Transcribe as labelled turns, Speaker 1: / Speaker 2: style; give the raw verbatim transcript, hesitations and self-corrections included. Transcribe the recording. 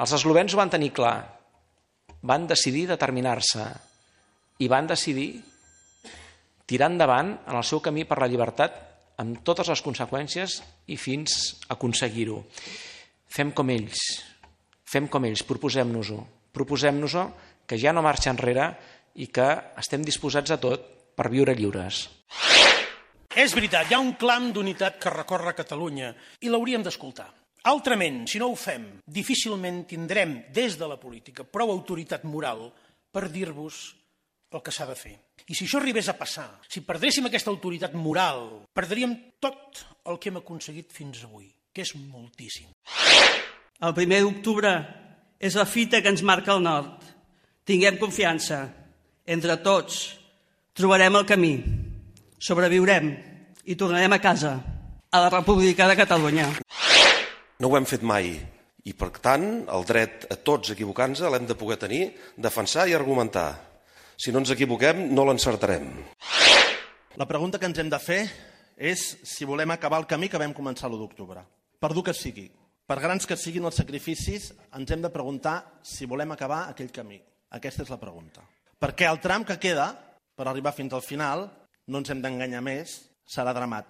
Speaker 1: Els eslovens ho van tenir clar, van decidir determinar-se i van decidir tirar endavant en el seu camí per la llibertat amb totes les conseqüències i fins a aconseguir-ho. Fem com ells, fem com ells, proposem-nos-ho, proposem-nos-ho que ja no marxa enrere i que estem disposats a tot per viure lliures.
Speaker 2: És veritat, hi ha un clam d'unitat que recorre Catalunya i l'hauríem d'escoltar. Altrament, si no ho fem, difícilment tindrem des de la política prou autoritat moral per dir-vos el que s'ha de fer. I si això arribés a passar, si perdréssim aquesta autoritat moral, perdríem tot el que hem aconseguit fins avui, que és moltíssim.
Speaker 3: El primer d'octubre és la fita que ens marca el nord. Tinguem confiança. Entre tots trobarem el camí, sobreviurem i tornarem a casa, a la República de Catalunya.
Speaker 4: No ho hem fet mai i, per tant, el dret a tots equivocant-se l'hem de poder tenir, defensar i argumentar. Si no ens equivoquem, no l'encertarem.
Speaker 5: La pregunta que ens hem de fer és si volem acabar el camí que vam començar l'u d'octubre. Per dur que sigui, per grans que siguin els sacrificis, ens hem de preguntar si volem acabar aquell camí. Aquesta és la pregunta. Perquè el tram que queda, per arribar fins al final, no ens hem d'enganyar més, serà dramàtic.